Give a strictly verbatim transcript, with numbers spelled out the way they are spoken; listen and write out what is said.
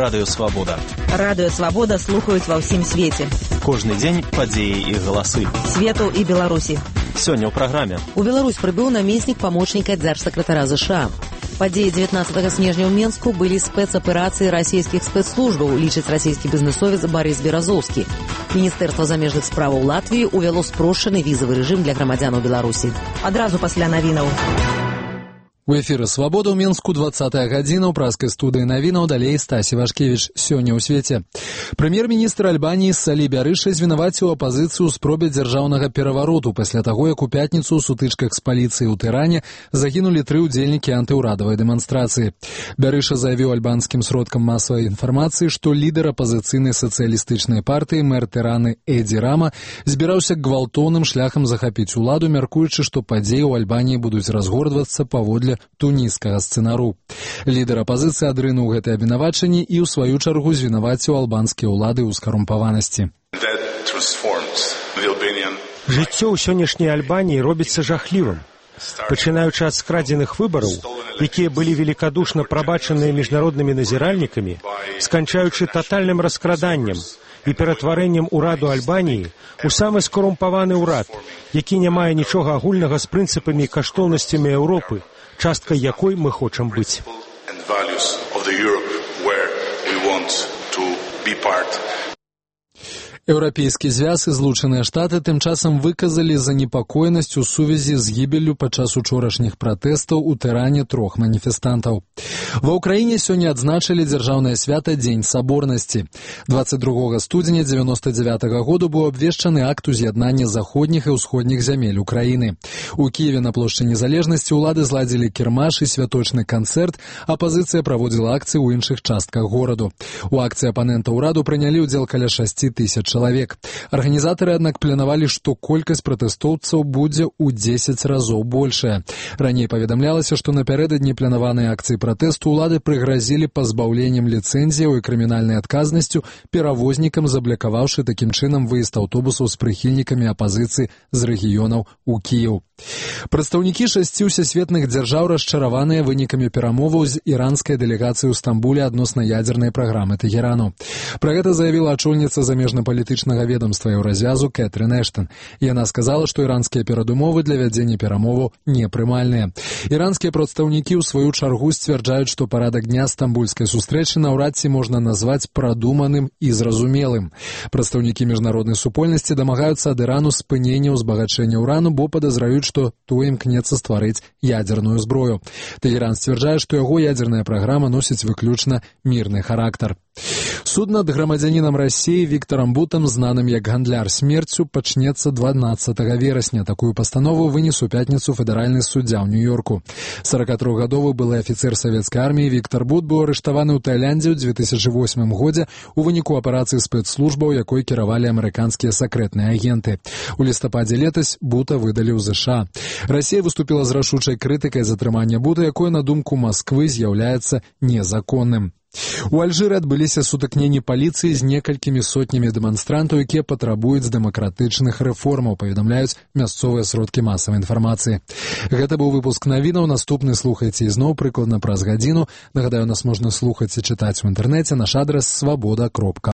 Радыё Свабода. Радыё Свабода слухаюць ва ўсім свеце. Кожны дзень падзеі і галасы. Свету і Беларусі. Сёння ў праграме. У Беларусь прыбыў намеснік памочніка дзяржсакратара ЗША. Падзеі дзевятнаццатага снежня ў Менску былі спецаперацыі расійскіх спецслужбаў, лічыць расійскі бізнесовец Барыс Беразоўскі. Міністэрства замежных справаў Латвіі ўвяло спрошчаны візавы рэжым для грамадзянаў Беларусі. Адразу пасля навінаў. У эфіры «Свабода» ў Менску двадцатая гадзіна ў праскай студыі навінаў, далей Стасі Вашкевіч. Сёння ў свеце. Прэм'ер-міністр Альбаніі Салі Бярыша звінаваціў апазіцыю ў спробе дзяржаўнага перавароту пасля таго, як у пятніцу ў сутычках з паліцыяй у Тыране загінулі тры ўдзельнікі антыўрадавай дэманстрацыі. Бярыша заявіў альбанскім сродкам масавай інфармацыі, што лідар апазіцыйнай сацыялістычнай партыі мэр Тыраны Эдзі Рама збіраўся гвалтоўным шляхам захапіць уладу, мяркуючы, што падзеі ў Альбаніі будуць разгортвацца паводле туніскага сцэнару. Лідар апазіцыі адрынуў гэтае абвінавачанне і ў сваю чаргу звінаваціў албанскія ўлады ў скарумпаванасці. Жыццё ў сённяшняй Альбаніі робіцца жахлівым. Пачынаючы ад скрадзеных выбараў, якія былі велікадушна прабачаныя міжнароднымі назіральнікамі, сканчаючы татальным раскраданнем і ператварэннем ураду Альбаніі у самы скарумпаваны ўрад, які не мае нічога агульнага з прынцыпамі і каштоўнасцямі Еўропы, часткай якой мы хочам быць. Еўрапейскі звяз і Злучаныя Штаты тым часам выказалі занепакоенасць у сувязі з гібеллю падчас учорашніх пратэстаў у Тыране трох маніфестантаў. Ва ўкраіне сёння адзначылі дзяржаўнае свята Дзень Саборнасці. дваццаць другога студзеня дзевяноста дзявятага году быў абвешчаны акт уз'яднання заходніх і ўсходніх зямель Украіны. У Кіеве на плошчы Незалежнасці ўлады зладзілі кірмаш і святочны канцэрт, апазіцыя праводзіла акцыі ў іншых частках гораду. У акцыі апанента ўраду прынялі ўдзел каля шасці тысяч чалавек. Арганізатары, аднак, планавалі, што колькасць пратэстоўцаў будзе ў дзесяць разоў большая. Раней паведамлялася, што напярэдадні планаванай акцыі пратэсту ўлады прыгразілі пазбаўленнем ліцэнзіяў і крымінальнай адказнасцю перавознікам, заблакаваўшы такім чынам выезд аўтобусаў з прыхільнікамі апазіцыі з рэгіёнаў у Кіеў. Прадстаўнікі шасці ўсесветных дзяржаў расчараваныя вынікамі перамоваў з іранскай дэлегацыяй у Стамбуле адносна ядзернай праграмы Тэхерану. Пра гэта заявіла ачольніца замежнапалітычнага ведамства Еўразвязу Кэтрын Эштон. Яна сказала, што іранскія перадумовы для вядзення перамоваў непрымальныя. Іранскія прадстаўнікі ў сваю чаргу сцвярджаюць, што парадак дня стамбульскай сустрэчы наўрад ці можна назваць прадуманым і зразумелым. Прадстаўнікі міжнароднай супольнасці дамагаюцца ад Ірану спынення ўзбагачэння ўрану, бо падазраюць, што той імкнецца стварыць ядзерную зброю. Тэхеран сцвярджае, што яго ядзерная праграма носіць выключна мірны характар. Суд над грамадзянінам Расіі Віктарам Бутам, знаным як гандляр смерцю, пачнецца дванаццатага верасня. Такую пастанову вынес у пятніцу федэральны суддзя ў Нью-Йорку. сорокатрохгадовы былы афіцэр савецкай арміі Віктар Бут быў арыштаваны ў Таіландзе ў дзве тысячы восьмым годзе у выніку аперацыі спецслужбаў, якой кіравалі амерыканскія сакрэтныя агенты. У лістападзе летась Бута выдалі ў ЗША. Расія выступіла з рашучай крытыкай затрымання Бута, якое, на думку Масквы, з'яўляецца незаконным. У Альжыры адбыліся сутыкненні паліцыі з некалькімі сотнямі дэманстрантаў, якія патрабуюць дэмакратычных рэформаў, паведамляюць мясцовыя сродкі масавай інфармацыі. Гэта быў выпуск навінаў, наступны слухайце ізноў прыкладна праз гадзіну. Нагадаю, нас можна слухаць і чытаць у інтэрнэце, наш адрас свабода кропка